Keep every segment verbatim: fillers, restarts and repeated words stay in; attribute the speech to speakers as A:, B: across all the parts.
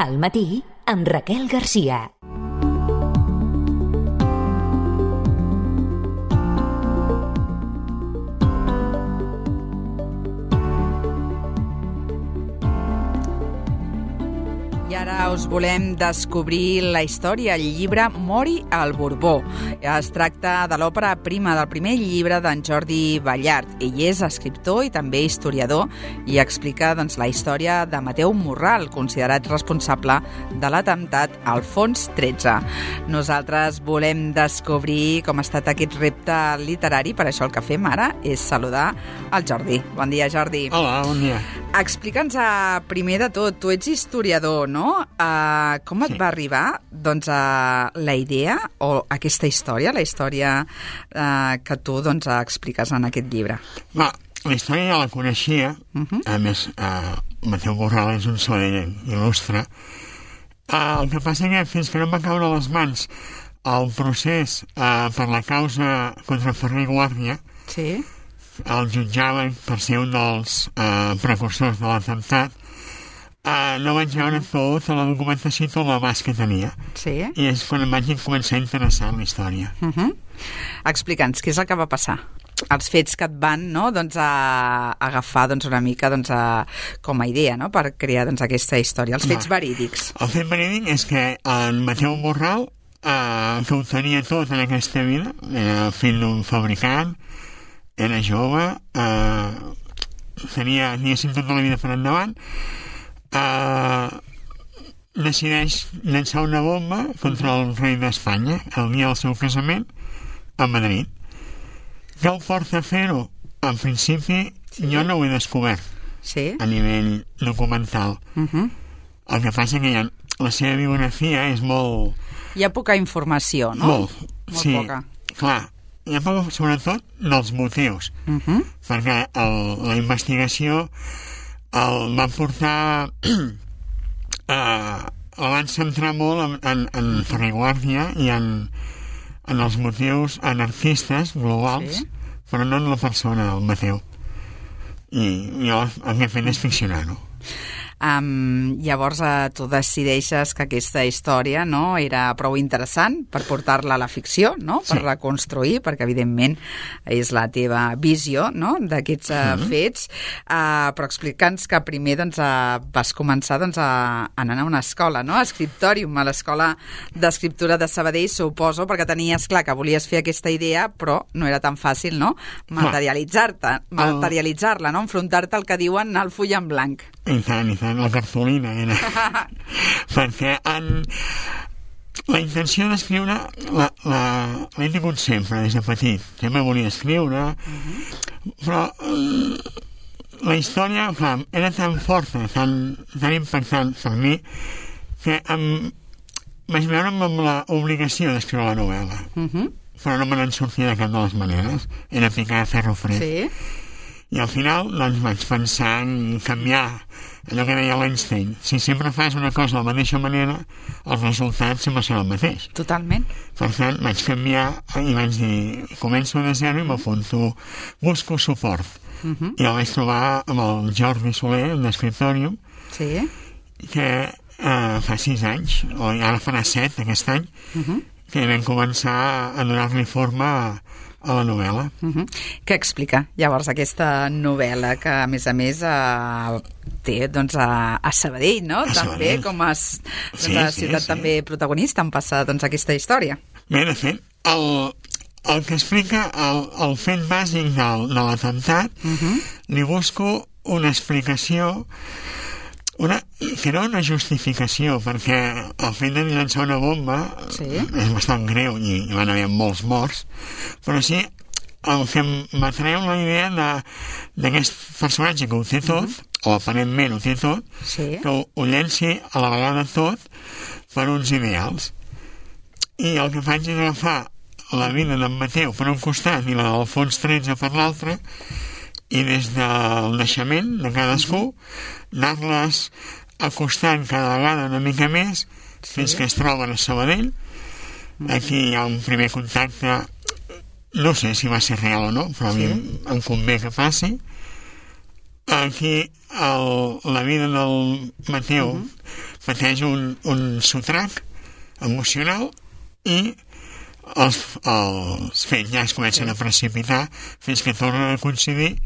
A: Al matí, amb Raquel Garcia.
B: I ara us volem descobrir la història, el llibre Mori al Borbó. Es tracta de l'òpera prima del primer llibre d'en Jordi Ballart. Ell és escriptor i també historiador i explica doncs, la història de Mateu Morral, considerat responsable de l'atemptat al Fons tretze. Nosaltres volem descobrir com ha estat aquest repte literari, per això el que fem ara és saludar el Jordi. Bon dia, Jordi.
C: Hola, bon dia.
B: Explica'ns primer de tot, tu ets historiador, no? Uh, com et
C: Sí.
B: va arribar doncs, uh, la idea o aquesta història, la història uh, que tu doncs, expliques en aquest llibre?
C: Va, la història ja la coneixia,
B: Uh-huh.
C: a més, uh, Mateu Morral és un sabadellenc il·lustre. Uh, el que passa que fins que no em va caure a les mans el procés uh, per la causa contra Ferrer i Guàrdia,
B: Sí.
C: el jutjaven per ser un dels uh, precursors de l'atemptat, uh, no vaig veure tot la documentació i tot l'abast que tenia.
B: Sí.
C: I és quan em vaig començar a interessar en la història.
B: Uh-huh. Explica'ns, què és el que va passar? Els fets que et van no, doncs, a agafar doncs, una mica doncs, a, com a idea no, per crear doncs, aquesta història, els fets
C: Va.
B: verídics.
C: El fet verídic és que en Mateu Morral, eh, que ho tenia tot en aquesta vida, era fill d'un fabricant, era jove, eh, tenia, diguéssim, tota la vida per endavant, eh, decideix llançar una bomba contra el rei d'Espanya el dia del seu casament a Madrid. Què el porta a fer-ho? En principi,
B: Sí.
C: jo no ho he descobert
B: Sí.
C: a nivell documental.
B: Uh-huh.
C: El que passa que ja, la seva biografia és molt...
B: Hi ha poca informació, no?
C: Molt,
B: Molt
C: sí.
B: poca.
C: Clar, hi ha poca, sobretot, dels motius,
B: Uh-huh.
C: perquè el, la investigació el va portar... eh, el van centrar molt en, en, en Ferrer i Guàrdia i en, en els motius anarquistes globals,
B: Sí.
C: però no en la persona del Mateu. I jo el que he fet és ficcionar-ho.
B: Um, llavors uh, tu decideixes que aquesta història no, era prou interessant per portar-la a la ficció, no? Per
C: Sí.
B: reconstruir, perquè evidentment és la teva visió no? d'aquests uh,
C: Mhm.
B: fets, uh, però explica'ns que primer doncs, uh, vas començar doncs, a anar a una escola, no? a Scriptorium, a l'escola d'escriptura de Sabadell, suposo, perquè tenies clar que volies fer aquesta idea, però no era tan fàcil no? materialitzar-te, materialitzar-la, no? enfrontar-te al que diuen el full en blanc.
C: I tant, i tant, la cartolina era... perquè en... la intenció d'escriure la, la, l'he tingut sempre des de petit, sempre volia escriure, però eh, la història, clar, era tan forta, tan, tan impactant per mi, que em, vaig veure amb l'obligació d'escriure la novel·la,
B: Uh-huh.
C: però no me n'en sortia de cap de les maneres, era ficar a ferro fred.
B: Sí.
C: I al final doncs, vaig pensar en canviar allò que deia l'Einstein. Si sempre fas una cosa de la mateixa manera, el resultat sempre serà el mateix.
B: Totalment.
C: Per tant, vaig canviar i vaig dir, començo de zero i m'apunto, busco suport.
B: Uh-huh.
C: I el vaig trobar amb el Jordi Soler, d'Escriptorium,
B: Sí.
C: que eh, fa sis anys, o ara farà set aquest any,
B: Uh-huh.
C: que vam començar a donar-li forma a, a la novel·la.
B: Uh-huh. Què explica llavors aquesta novel·la que a més a més uh, té doncs, a, a Sabadell, no?
C: A
B: també
C: Sabadell.
B: com a, s- doncs,
C: Sí,
B: a
C: sí,
B: ciutat
C: sí.
B: també protagonista en passa doncs, aquesta història.
C: Bé, de fet, el, el que explica el, el fet bàsic del, de l'atemptat,
B: Uh-huh.
C: li busco una explicació, una, que no una justificació, perquè el fet de llançar una bomba
B: Sí.
C: és bastant greu i hi van haver molts morts, però sí el que m'atreu la idea de- d'aquest personatge que ho té tot, o aparentment ho té tot,
B: Sí.
C: que ho, ho llenci a la vegada tot per uns ideals. I el que faig és agafar la vida d'en Mateu per un costat i la del Fons tretze per l'altre, i des del naixement de cadascú anar-les acostant cada vegada una mica més fins que es troben a Sabadell. Aquí hi ha un primer contacte, no sé si va ser real o no, però a mi
B: Sí.
C: em, em convé que passi, aquí el, la vida del Mateu uh-huh. pateix un, un sotrac emocional i els, els fets ja es comencen a precipitar fins que tornen a coincidir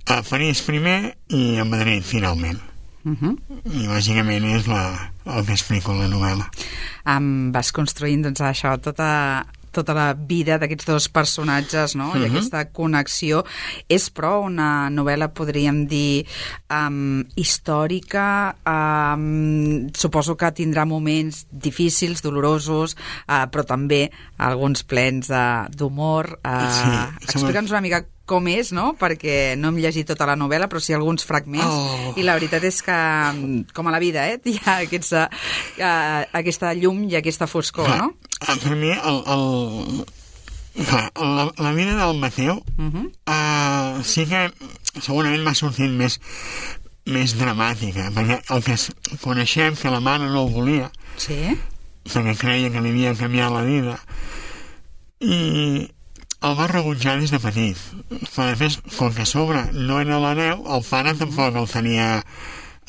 C: a París primer i a Madrid finalment. Uh-huh. I bàsicament és la, el que explico en la novel·la.
B: Um, vas construint doncs això, tota, tota la vida d'aquests dos personatges, no? Uh-huh. I aquesta connexió. És però una novel·la, podríem dir, um, històrica, um, suposo que tindrà moments difícils, dolorosos, uh, però també alguns plens uh, d'humor. Uh, sí, explica'ns una mica com és, no? Perquè no hem llegit tota la novel·la, però sí alguns fragments, oh. i la veritat és que, com a la vida, eh, hi ha aquesta, uh, aquesta llum i aquesta foscor, no?
C: Per mi, el, el, la, la vida del Mateu uh-huh. uh, sí que segurament m'ha sortit més, més dramàtica, perquè el que coneixem, que la mare no ho volia,
B: sí?
C: perquè creia que li havia canviat la vida, i el va rebutjar des de petit. Però després, com que a sobre no era l'hereu, el pare tampoc el tenia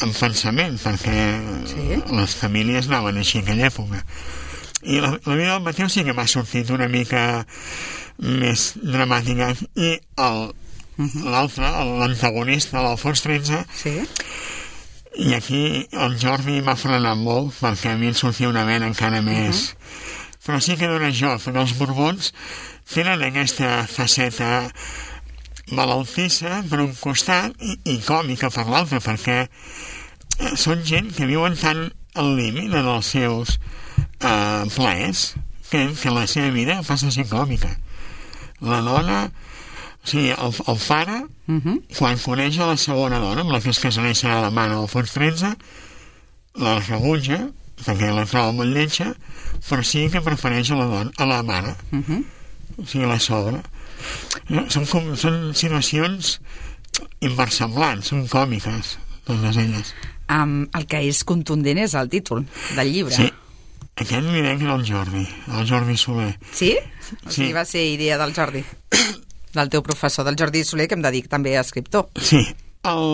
C: en pensament, perquè sí? les famílies anaven així en aquella època. I la, la vida del Mateu sí que m'ha sortit una mica més dramàtica. I el, uh-huh. l'altre, l'antagonista, l'Alfons tretze, sí? I aquí el Jordi m'ha frenat molt, perquè a mi em sortia una vena encara més. Uh-huh. Però sí que dona joc, perquè els Borbons tenen aquesta faceta malaltissa per un costat i, i còmica per l'altre, perquè són gent que viuen tan al límit en els seus eh, plaers que, que la seva vida passa a ser còmica. La dona, o sigui, el, el pare, uh-huh. quan coneix a la segona dona, amb la que es casarà i serà la mare d'Alfons tretze, la rebutja, perquè la troba molt lletja, però sí que prefereix a la, dona, a la mare. Uh-huh. O sigui, la sogra. No, són, com, són situacions inversemblants, són còmiques, totes elles.
B: Um, el que és contundent és el títol del llibre.
C: Sí, aquest li deia que era el Jordi, el Jordi Soler.
B: Sí? O sigui, sí. Va ser idea del Jordi, del teu professor, del Jordi Soler, que em dedic també a escriptor.
C: Sí. El...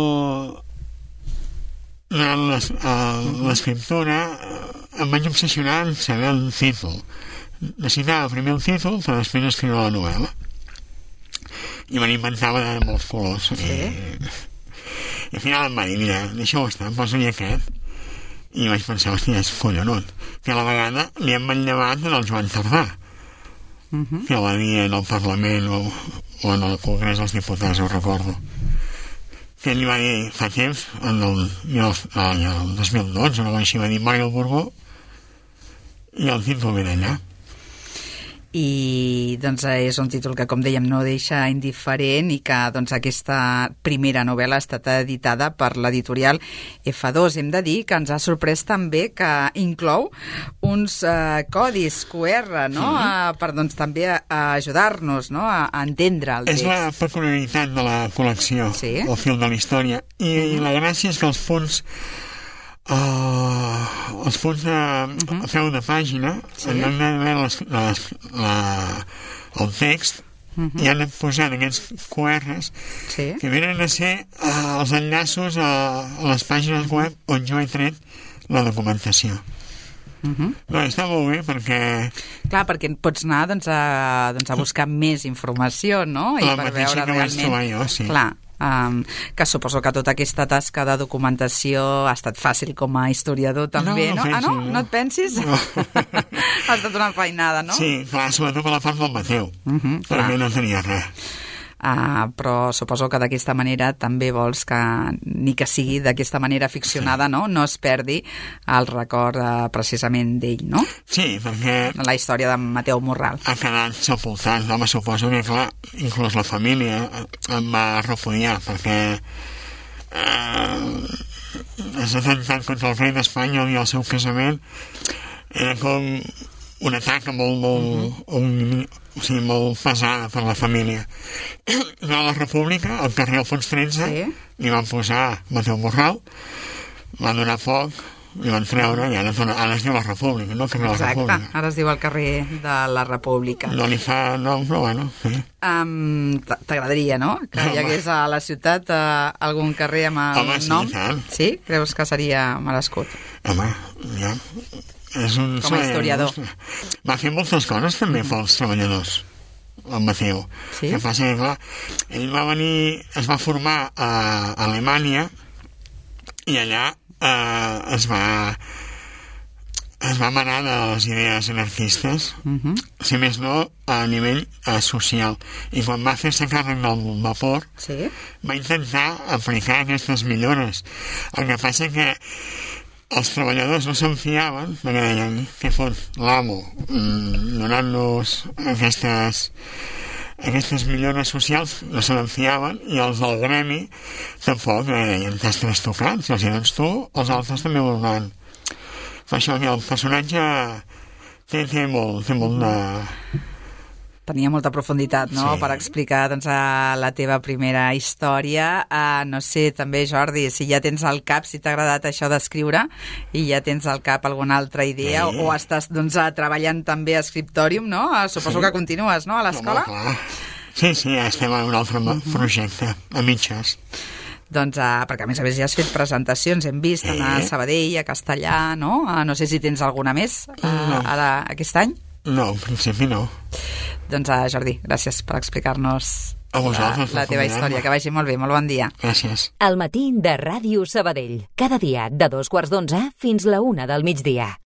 C: l'escriptora em vaig obsessionar en saber el títol. Necessitava primer el títol per després escriure la novel·la, i me n'inventava de molts colors. Sí? I, i al final em va dir, mira, deixa-ho estar, posa-li aquest, i vaig pensar, hòstia, és collonut, que a la vegada li hem manllevat en el Joan Tardà, uh-huh. que va dir en el Parlament o, o en el Congrés dels Diputats, ho recordo, que ell va dir fa temps, en el, el, el dos mil dotze, no així, va dir Mori el Borbó, i el títol ve d'allà.
B: I doncs és un títol que, com dèiem, no deixa indiferent, i que doncs aquesta primera novel·la ha estat editada per l'editorial F dos. Hem de dir que ens ha sorprès també que inclou uns uh, codis Q R, no? Sí. Uh, per doncs també a, a ajudar-nos, no? a, a entendre el text.
C: És la peculiaritat de la col·lecció, sí? El fil de la història, i, uh-huh. i la gràcia és que els punts Uh, els punts de, uh-huh. a peu de pàgina, sí? En lloc de veure les, les, la, el text, uh-huh. i han posat aquests Q Rs, sí? Que venen a ser uh, els enllaços a, a les pàgines web on jo he tret la documentació. Uh-huh. No, està molt bé perquè...
B: Clar, perquè pots anar doncs, a, doncs, a buscar més informació, no? I
C: la
B: per
C: mateixa
B: veure
C: que
B: realment...
C: vaig trobar jo, sí.
B: Clar. Um, que suposo que tota aquesta tasca de documentació ha estat fàcil com a historiador també, no? no? no? Ah, no? No, no et pensis? No. Ha estat una feinada, no?
C: Sí, clar, sobretot per la part del Mateu. Uh-huh, per mi no tenia res.
B: Uh, però suposo que d'aquesta manera també vols que, ni que sigui d'aquesta manera ficcionada, sí. no? No es perdi el record uh, precisament d'ell, no?
C: Sí, perquè...
B: La història de Mateu Morral.
C: Ha quedat sepultat, no? Me suposo que, clar, inclús la família em va repudiar, perquè eh, els atemptats contra el rei d'Espanya i el seu casament era com un atac molt, molt, uh-huh. un, o sigui, molt pesada per la família. A la República, al carrer Alfons tretze, sí? Li van posar Mateu Morral, va donar foc, i van treure i ara, ara es diu la República, no? Que no la
B: Exacte,
C: República.
B: ara es diu el carrer de la República.
C: No li fa nom, però bueno, sí.
B: Um, T'agradaria, no?, que hi hagués a la ciutat uh, algun carrer amb el
C: Home, sí,
B: nom?
C: tant.
B: Sí? Creus que seria merescut?
C: Home, ja... És un
B: Com a historiador.
C: Va fer moltes coses també pels treballadors, el Mateu.
B: Sí?
C: Que passa que, clar, ell va venir, es va formar a Alemanya i allà eh, es va es va manar de les idees anarquistes,
B: Uh -huh.
C: si més no a nivell eh, social. I quan va fer-se càrrec del vapor,
B: Sí?
C: va intentar aplicar aquestes millores. El que passa que els treballadors no se'n fiaven, perquè deien, què fot l'amo, mm, donant-nos aquestes, aquestes millores socials, no se'n fiaven, i els del gremi tampoc, eh, deien, t'has trastocat, si els hi dones tu, els altres també ho donaran. Per això que el personatge té, té molt, té molt de...
B: Tenia molta profunditat, no?,
C: Sí.
B: per explicar, doncs, la teva primera història. Uh, no sé, també, Jordi, si ja tens al cap, si t'ha agradat això d'escriure, i ja tens al cap alguna altra idea,
C: Sí.
B: o, o estàs, doncs, uh, treballant també a Scriptorium, no? Uh, suposo
C: Sí.
B: que continues, no?, a l'escola?
C: Home, clar. Sí, sí, estem en un altre uh-huh. projecte, a mitges.
B: Doncs, uh, perquè a més a més ja has fet presentacions, hem vist,
C: Sí.
B: a Sabadell, a Castellà, no? Uh, no sé si tens alguna més uh,
C: No.
B: ara, aquest any.
C: No, en principi no.
B: Doncs, uh, Jordi, gràcies per explicar-nos
C: A vosaltres,
B: la, la
C: per
B: teva
C: convidar-me.
B: història. Que vagi molt bé, molt bon dia.
C: Gràcies.
A: El matí de Ràdio Sabadell. Cada dia de dos quarts d'onze fins la una del migdia.